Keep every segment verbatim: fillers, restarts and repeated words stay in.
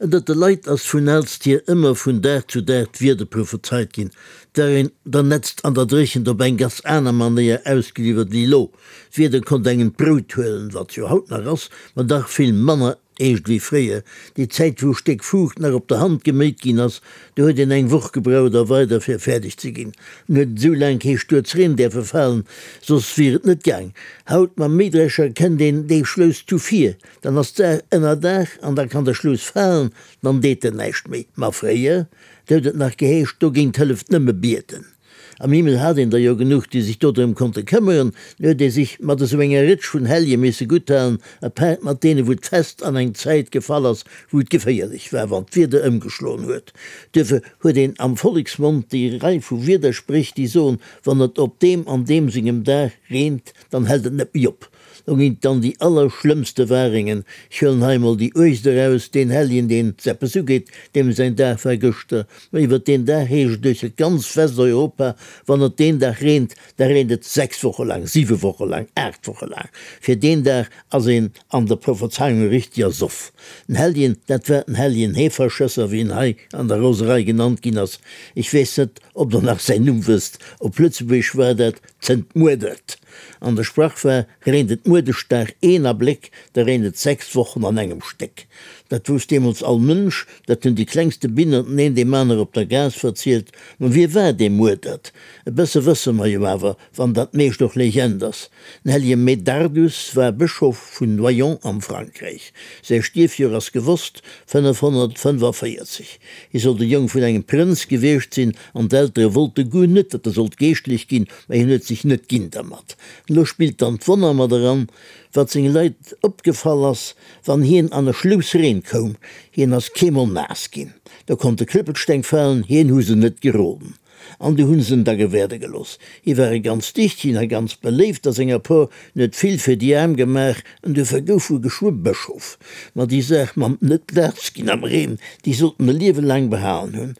Ënnert de Leit ass vun aalst hier ëmmer vun Dag zu Dag d'Wieder prophezeit ginn. 't war een der Nätzt an der Dréchent op eng ganz aner Manéier ausgeliwwert wéi elo. D'Wieder konnt engem d'Brout huelen, wat jo haut nach ass, ma dach vill manner eescht wéi fréier. Déi Zäit wou e Stéck Fuucht nach op der Hand geméit ginn ass, do huet een eng Woch gebraucht a weider fir fäerdeg ze ginn. En huet esou laang kee Stuerz Reen däerfe falen, soss wier et net gaang. Haut mam Méidrescher kennt een dee Schlouss zu vir, dann ass d'Saach ënnerdaach an da kann de Schlouss falen, dann deet en näischt méi. Ma fréier, do huet et nach geheescht, dogéint hëlleft nëmme bieden. Am Himmel hat een der jo genuch, déi sech dodrëm konnte këmmeren. Nu huet ee sech mat esou enger Rëtsch vun Hellje misse gutthalen, apaart mat deene wou d'Fest an eng Zäit gefall ass, wou et geféierlech war, wann d'Wieder ëmgeschloen huet. Duerfir huet een am Volleksmond déi Rei vu Wiederspréch, déi soen, wann et op deem an deem sengem Dag reent, dann hält et net méi op. Do ginn et dann déi allerschlëmmste Waringen. Ech huelen hei emol déi uergst eraus, deen Helljen, deen s eppes ugeet, deem säin Dag war gëschter. Ma iwwert deen Dag heescht et duerch ganz Westeuropa, wann et deen Dag reent, da reent et sechs Woche laang, siwe Woche laang, aacht Woche laang. Fir deen Dag ass een an der Prophezeiung e richtiger Soff. Den Helljen, dat war den Helljen Heeferschësser, wéi en hei an der Roserei genannt ginn ass. Ech weess net, ob Der nach säin Numm wësst. Op Lëtzebuergesch war dat Zënt Muedert. An de Sprach war, Reent et Muedeschdag een Abléck, da reent et sechs Wochen an engem Stéck. Dat wousst deemools all Mënsch, dat hunn déi klengste Binnerten een deem aner op der Gaass verzielt. Ma wie war dee Muedert? E bësse wësse mer jo awer, wann dat meescht och Legend ass. Den hellege Medardus war Bëschof vun Noyon am Frankräich. Säi Stierfjoer ass gewosst, fënnefhonnertfënnefaféierzeg. Hie soll de Jong vun engem Prënz gewiescht sinn an d'Eltere wollte guer net, datt e sollt Geeschtlech ginn, mä hien huet sech net ginn dermat. Elo spillt dann d'Wonner mat eran, wat senge Leit opgefall ass, wann hien an e Schlouss Reen koum, hien ass keemol naass ginn. Do konnte Klëppelsteng falen, hien hu se net geroden. An du hunn se en da gewäerde gelooss. Hie war e ganz dichtegen a ganz beléift a senger Por, en huet vill fir déi Aarm gemaach, en duerfir gouf e geschwë Bëschof. Ma déi Saach mam net naass ginn am Reen, déi sollt en e Liewe laang behalen hunn.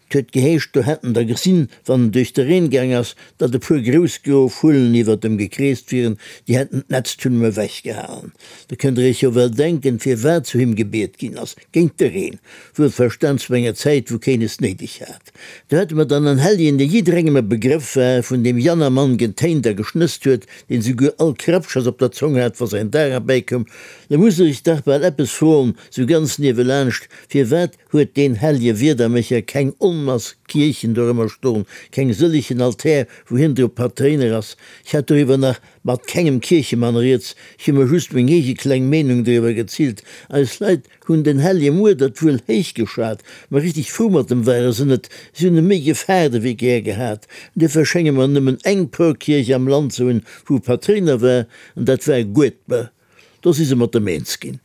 't huet geheescht, do hätt en der gesinn, wann en duerch de Reen gaang ass, datt e puer grouss gro Vullen iwwert em gekreest wieren, déi hätten d'Nätzt vun em ewechgehalen. Da kënnt der iech jo well denken, firwat zu him gebiet ginn ass, géint de Reen, wuelverstan zu enger Zäit, wou keen es néideg hat. Do hätte mer dann en Helljen, dee jidderengem e Begrëff war, vun deem Jannermann getéint a geschnësst huet, deen souguer all Krappschers op der Zong hat, wa säin Dag erbäikoum. Da muss der iech dach bal eppes froen, sou ganz niewelaanscht, Firwat huet deen hellje Wiedermécher keng Onmass Kierchen dorëmmer stoen, keng sëllegen Altär, wou hien drop Patréiner ass? Ech hat doriwwer nach mat kengem Kierchemann rieds, ech hu mer just meng eege kleng Meenung doriwwer gezilt. Eis Leit hunn den hellje Muedert wuel héich geschat, ma richteg frou mat em ware se net, si hunn e méi gefaart ewéi gär gehat. Duerfir schénge mer nëmmen eng Porkierch am Land ze hunn, wou e Patréiner war, an dat war Guedber. Do si se mat em eens ginn.